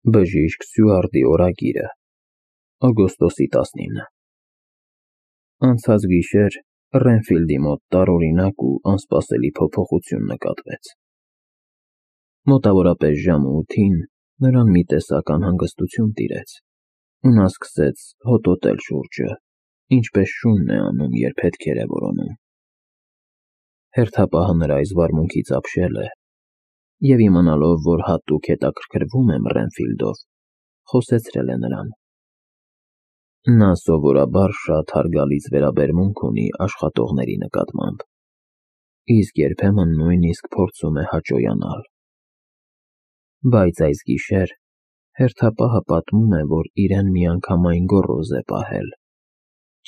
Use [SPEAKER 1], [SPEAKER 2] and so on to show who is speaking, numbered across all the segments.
[SPEAKER 1] Բժիշկ Սյուարտի օրագիրը, օգոստոսի 19։ Անցած գիշեր Ռենֆիլդի մոտ տարօրինակ ու անսպասելի փոփոխություն նկատվեց։ Մոտավորապես ժամը 8-ին նրան մի տեսակ անհանգստություն տիրեց, ու նա սկսեց հոտոտել շուրջը, ինչպես շունն է անում, երբ հետքեր է որոնում։ Հերթապահը նրա այս վարմունքից ապշել է, և իմանալով, որ հատուկ հետաքրքրվում եմ Ռենֆիլդով, խոսեցրել է նրան։ Նա սովորաբար շատ հարգալից վերաբերմունք ունի աշխատողների նկատմամբ, իսկ երբեմն նույնիսկ փորձում է հաճոյանալ։ Բայց այս գիշեր հերթապահը պատմում է, որ իրեն միանգամայն գոռոզ է պահել,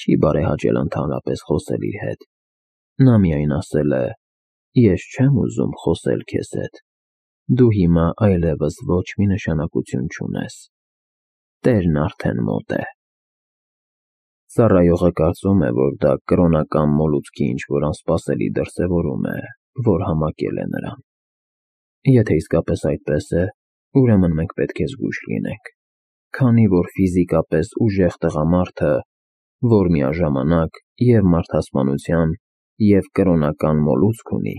[SPEAKER 1] չի բարեհաճել ընդհանրապես խոսել իր հետ, նա միայն ասել է. «Ես չեմ ուզում խոսել քեզ հետ, դու հիմա այլևս ոչ մի նշանակություն չունես, տերն արդեն մոտ է»։ Ծառայողը կարծում է, որ դա կրոնական մոլուցքի ինչ-որ անսպասելի դրսևորում է, որ համակել է նրան։ Եթե իսկապես այդպես է, ուրեմն մենք պետք է զգույշ լինենք, քանի որ ֆիզիկապես ուժեղ տղամարդը, որ միաժամանակ և մարդասպանության, և կրոնական մոլուցք ունի,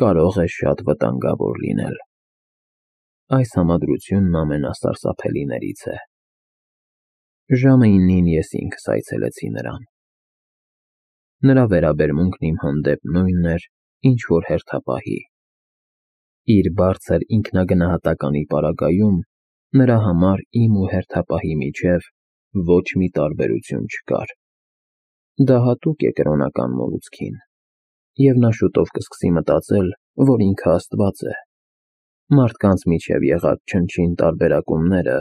[SPEAKER 1] կարող է շատ վտանգավոր լինել։ Այս համադրությունն ամենասարսափելիներից է։ Ժամը 9-ին ես ինքս այցելեցի նրան։ Նրա վերաբերմունքն իմ հանդեպ նույնն էր, ինչ որ հերթապահի։ Իր բարձր ինքնագնահատականի պարագայում նրա համար իմ ու հերթապահի միջև ոչ մի տարբերություն չկար։ Դա հատուկ է կրոնական մոլուցքին, և նա շուտով կսկսի մտածել, որ ինքը Աստված է։ Մարդկանց միջև եղած չնչին տարբերակումները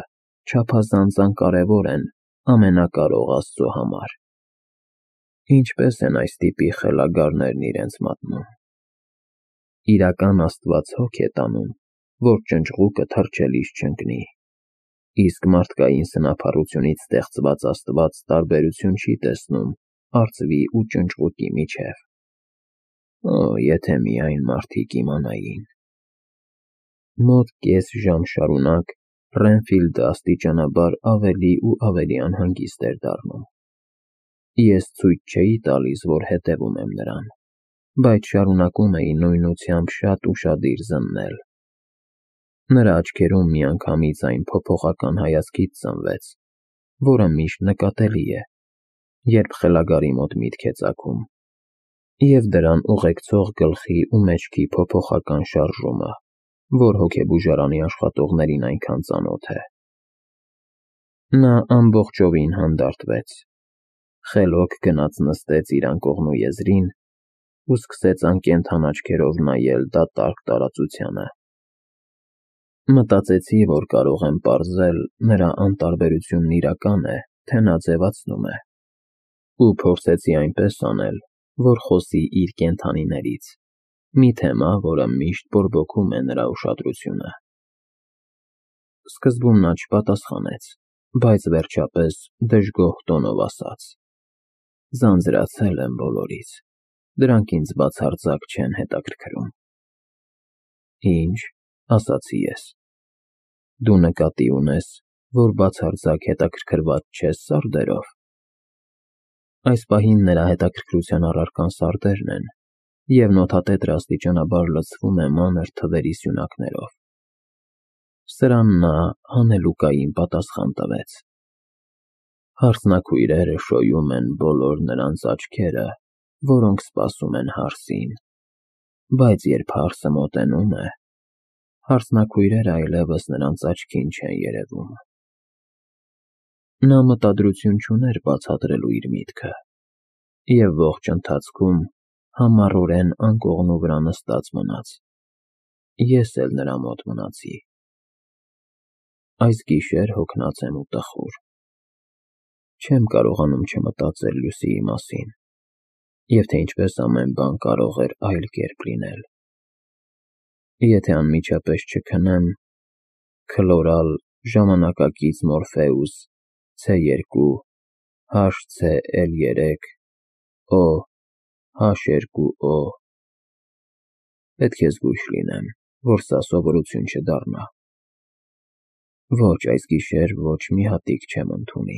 [SPEAKER 1] չափազանց անկարևոր են ամենակարող Աստծո համար։ Ինչպես են այս տիպի խելագարներն իրենց մատնում։ Իրական Աստված հոգ է տանում, որ ճնճղուկը թռչելիս չընկնի, իսկ մարդկային սնափառությունից ստեղծված Աստված տարբերություն չի տեսնում արծվի ու ճնճղուկի միջև։ Օ, եթե միայն մարդիկ իմանային։ Մոտ կես ժամ շարունակ Ռենֆիլդը աստիճանաբար ավելի ու ավելի անհանգիստ էր դառնում։ Ես ցույց չէի տալիս, որ հետևում եմ նրան, բայց շարունակում էի նույնությամբ շատ ուշադիր զննել։ Նրա աչքերում միանգամից այն փոփոխական հայացքից ծնվեց, որը միշտ նկատելի է, երբ խելագարի մոտ միտք է ծագում, և դրան ուղեկցող գլխի ու մեջքի փոփոխական շարժումը, որ հոգեբուժարանի աշխատողներին այնքան ծանոթ է։ Նա ամբողջովին հանդարտվեց, խելոք գնաց նստեց իր անկողնու եզրին ու սկսեց անկենդան աչքերով նայել դատարկ տարածությանը։ Մտածեցի, որ կարող եմ պարզել նրա անտարբերությունն իրական է, թե նա ձևացնում է, ու փորձեցի այնպես անել, որ խոսի իր կենդանիներից, մի թեմա, որը միշտ բորբոքում է նրա ուշադրությունը։ Սկզբում նա չպատասխանեց, բայց վերջապես դժգոհ տոնով ասաց. «Ձանձրացել եմ բոլորից, դրանք ինձ բացարձակ չեն հետաքրքրում»։ Ինչ, ասացի ես, դու նկատի ունես, որ բացարձակ հետաքրքրված չես սարդերով։ Այս պահին նրա հետաքրքրության առարկան սարդերն են, և նոթատետրը աստիճանաբար լցվում է մանր թվերի սյունակներով։ Սրան նա հանելուկային պատասխան տվեց. Հարսնաքույրերը շոյում են բոլոր նրանց աչքերը, որոնք սպասում են հարսին, բայց երբ հարսը մոտենում է, հարսնաքույրերը այլևս նրանց աչքին չեն երևում։ Նա մտադրություն չուներ բացատրելու իր միտքը, և ողջ ընթացքում համառորեն անկողնու վրա նստած մնաց։ Ես էլ նրա մոտ մնացի։ Այս գիշեր հոգնած եմ ու տխուր։ Չեմ կարողանում չմտածել Լուսիի մասին, և թե ինչպես ամեն բան կարող էր այլ կերպ լինել։ Եթե անմիջապես չքնեմ, քլորալ, ժամանակակից Մորֆեուս, C2, HCl3, O, H2O… Պետք է զգույշ լինեմ, որ սա սովորություն չդառնա։ Ոչ այս գիշեր ոչ մի հատիկ չեմ ընդունի։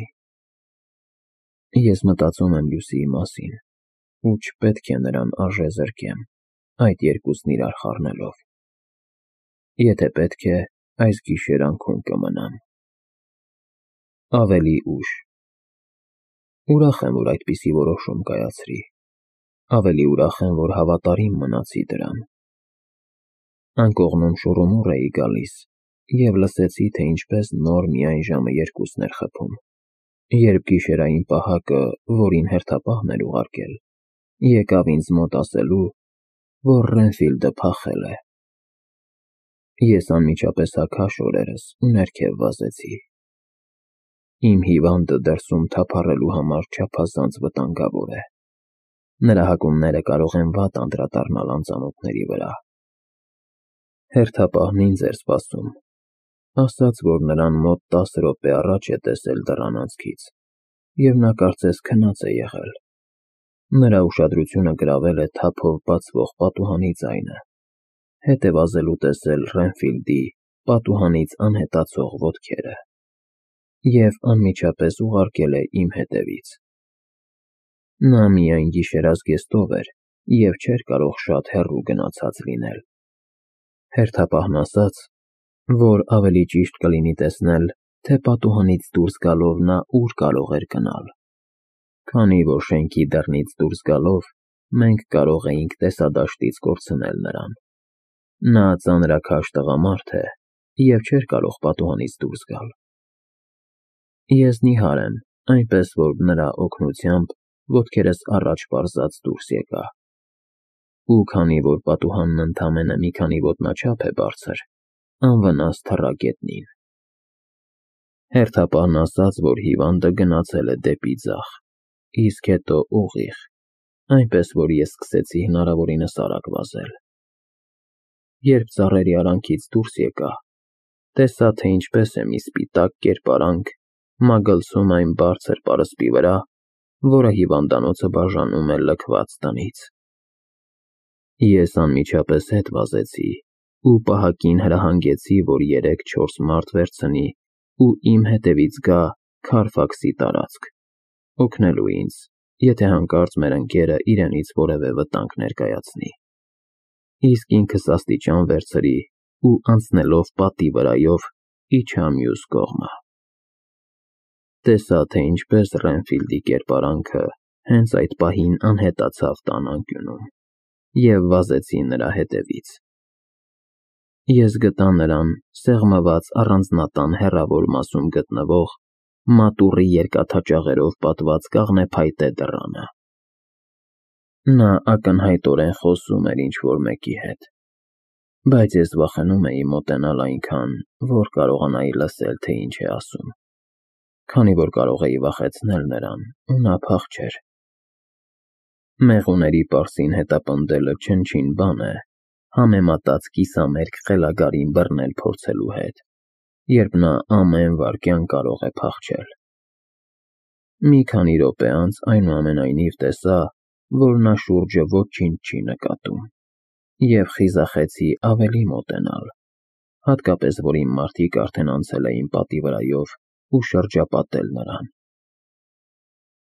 [SPEAKER 1] Ես մտածում եմ Լուսիի մասին, ու չպետք է նրան արժե զրկեմ, այդ երկուսն իրար խառնելով։ Եթե պետք է, այս գիշեր անքուն կմնամ։ Ավելի ուշ։ Ուրախ եմ, որ այդպիսի որոշում կայացրի։ Ավելի ուրախ եմ, որ հավատարիմ մնացի դրան։ Անկողնում շուռումուռ էի գալիս և լսեցի, թե ինչպես նոր միայն ժամը 2-ն էր խփում, երբ գիշերային պահակը, որին հերթապահն էր ուղարկել, եկավ ինձ մոտ ասելու, որ Ռենֆիլդը փախել է։ Ես անմիջապես հագա շորերս ու ներքև վազեցի։ Իմ հիվանդը դրսում թափառելու համար չափազանց վտանգավոր է։ Նրա հակումները կարող են վատ անդրադառնալ անծանոթների վրա։ Հերթապահն ինձ էր սպասում, ասաց, որ նրան մոտ 10 րոպե առաջ է տեսել դռան անցքից, և նա կարծես քնած է եղել։ Նրա ուշադրությունը գրավել է թափով բացվող պատուհանի ձայնը, հետ է վազելու տեսել Ռենֆիլդի պատուհանից անհետացող ոտքերը, և անմիջապես ուղարկել է իմ հետևից։ Նա միայն գիշերազգեստով էր և չէր կարող շատ հեռու գնացած լինել։ Հերթապահն ասաց, որ ավելի ճիշտ կլինի տեսնել, թե պատուհանից դուրս գալով նա ուր կարող էր գնալ, քանի որ շենքի դռնից դուրս գալով մենք կարող էինք տեսադաշտից կորցնել նրան։ Նա ծանրաքաշ տղամարդ է և չէր կարող պատուհանից դուրս գալ։ Ես նիհար եմ, այնպես որ նրա օգնությամբ ոտքերս առաջ պարզած դուրս եկա։ Ու քանի որ պատուհանն ընդամենը մի քանի ոտնաչափ է բարձր, անվնաս թռա գետնին։ Հերթապահն ասաց, որ հիվանդը գնացել է դեպի ձախ, իսկ հետո ուղիղ, այնպես որ ես սկսեցի հնարավորինս արագ վազել։ Երբ ծառերի արանքից դուրս եկա, տեսա, թե ինչպես է մի սպիտակ կերպարանք մագլցում այն բարձր պարսպի վրա, որը հիվանդանոցը բաժանում է լքված տնից։ Ես անմիջապես հետ վազեցի ու պահակին հրահանգեցի, որ 3-4 մարդ վերցնի ու իմ հետևից գա Քարֆաքսի տարածք, օգնելու ինձ, եթե հանկարծ մեր ընկերը իրենից որևէ վտանգ ներկայացնի։ Իսկ ինքս աստիճան վերցրի ու անցնելով պատի վրայով իջա մյուս կողմը։ Տեսա, թե ինչպես Ռենֆիլդի կերպարանքը հենց այդ պահին անհետացավ տան անկյունում, և վազեցի նրա հետևից։ Ես գտա նրան սեղմված առանձնատան հեռավոր մասում գտնվող մատուռի երկաթաճաղերով պատված կաղնեփայտե դռանը։ Նա ակնհայտորեն խոսում էր ինչ-որ մեկի հետ, բայց ես վախենում էի մոտենալ այնքան, որ կարողանայի լսել, թե ինչ է ասում, քանի որ կարող էի վախեցնել նրան, ու նա փախչեր։ Մեղուների պարսին հետապնդելը չնչին բան է, համեմատած կիսամերկ խելագարին բռնել փորձելու հետ, երբ նա ամեն վայրկյան կարող է փախչել։ Մի քանի րոպե անց այնուամենայնիվ տեսա, որ նա շուրջը ոչինչ չի նկատում, և խիզախեցի ավելի մոտենալ, հատկապես որ իմ մարդիկ արդեն անցել էին պատի վրայով ու շրջապատել նրան։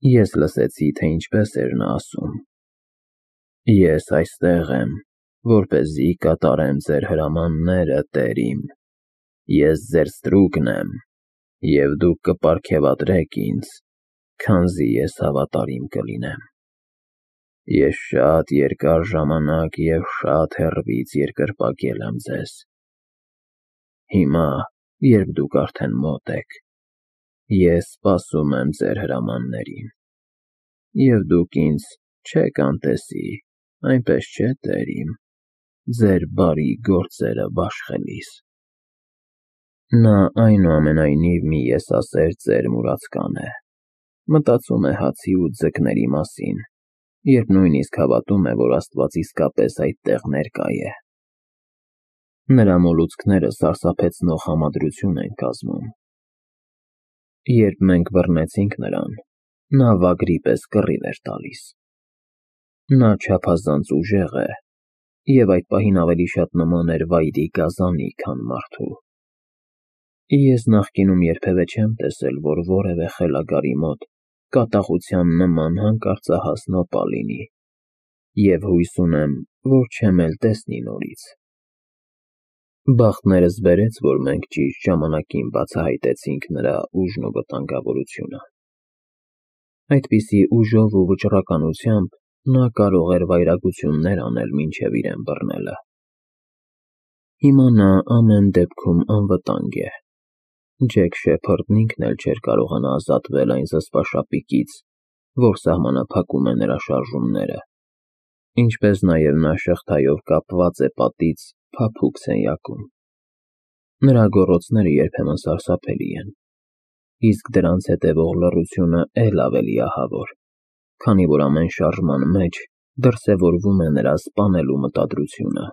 [SPEAKER 1] Ես լսեցի, թե ինչպես էր նա ասում. «Ես այստեղ եմ, որպեսզի կատարեմ ձեր հրամանները, տեր իմ։ Ես ձեր ստրուկն եմ, և դուք կպարգևատրեք ինձ, քանզի ես հավատարիմ կլինեմ։ Ես շատ երկար ժամանակ և շատ հեռվից երկրպագել եմ ձեզ։ Հիմա, երբ դուք արդեն մոտ եք, ես սպասում եմ ձեր հրամաններին, և դուք ինձ չեք անտեսի, այնպես չէ՞, տեր իմ, ձեր բարի գործերը բաշխելիս»։ Նա այնուամենայնիվ մի եսասեր ծեր մուրացկան է, մտածում է հացի ու ձկների մասին, երբ նույնիսկ հավատում է, որ Աստված իսկապես այդտեղ ներկա է։ Նրա մոլուցքները սարսափեցնող համադրություն են կազմում։ Երբ մենք բռնեցինք նրան, նա վագրի պես կռիվ էր տալիս։ Նա չափազանց ուժեղ է և այդ պահին ավելի շատ նման էր վայրի գազանի, քան մարդու։ Ես նախկինում երբևէ չեմ տեսել, որ որևէ խելագարի մոտ կատաղության նման հանկարծահաս նոպա լինի, և հույս ունեմ, որ չեմ էլ տեսնի նորից։ Բախտներս բերեց, որ մենք ճիշտ ժամանակին բացահայտեցինք նրա ուժն ու վտանգավորությունը։ Այդպիսի ուժով ու վճռականությամբ նա կարող էր վայրագություններ անել մինչև իրեն բռնելը։ Հիմա նա ամեն դեպքում անվտանգ է։ Ջեք Շեփարդն ինքն էլ չէր կարողանա ազատվել այն զսպաշապիկից, որ սահմանափակում է նրա շարժումները, ինչպես նաև նա շղթայով կապված է պատից փափուկ սենյակում։ Նրա գոռոցները երբեմն սարսափելի են, իսկ դրանց հետևող լռությունը էլ ավելի ահավոր, քանի որ ամեն շարժման մեջ դրսևորվում է նրա սպանելու մտադրությունը։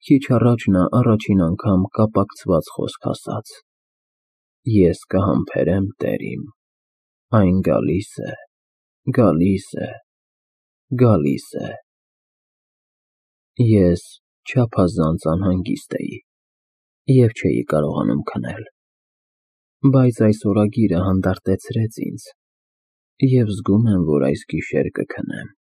[SPEAKER 1] Քիչ առաջ նա առաջին անգամ կապակցված խոսք ասաց. «Ես կհամբերեմ, տեր իմ, այն գալիս է, գալիս է, գալիս է»։ Ես չափազանց անհանգիստ էի և չէի կարողանում քնել, բայց այս օրագիրը հանդարտեցրեց ինձ, և զգում եմ, որ այս գիշեր կքնեմ։